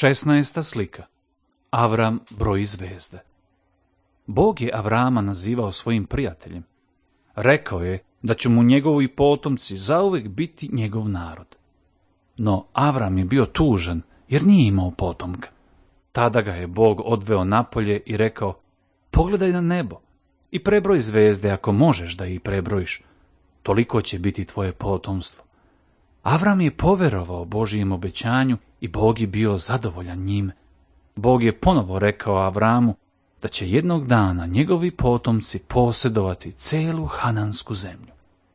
16. slika. Avram broji zvezde. Bog je Avrama nazivao svojim prijateljem. Rekao je da će mu njegovi potomci zauvek biti njegov narod. No Avram je bio tužan jer nije imao potomka. Tada ga je Bog odveo napolje i rekao: pogledaj na nebo i prebroj zvezde ako možeš da ih prebrojiš. Toliko će biti tvoje potomstvo. Avram je poverovao Božijem obećanju i Bog je bio zadovoljan njime. Bog je ponovo rekao Avramu da će jednog dana njegovi potomci posjedovati celu Hanansku zemlju.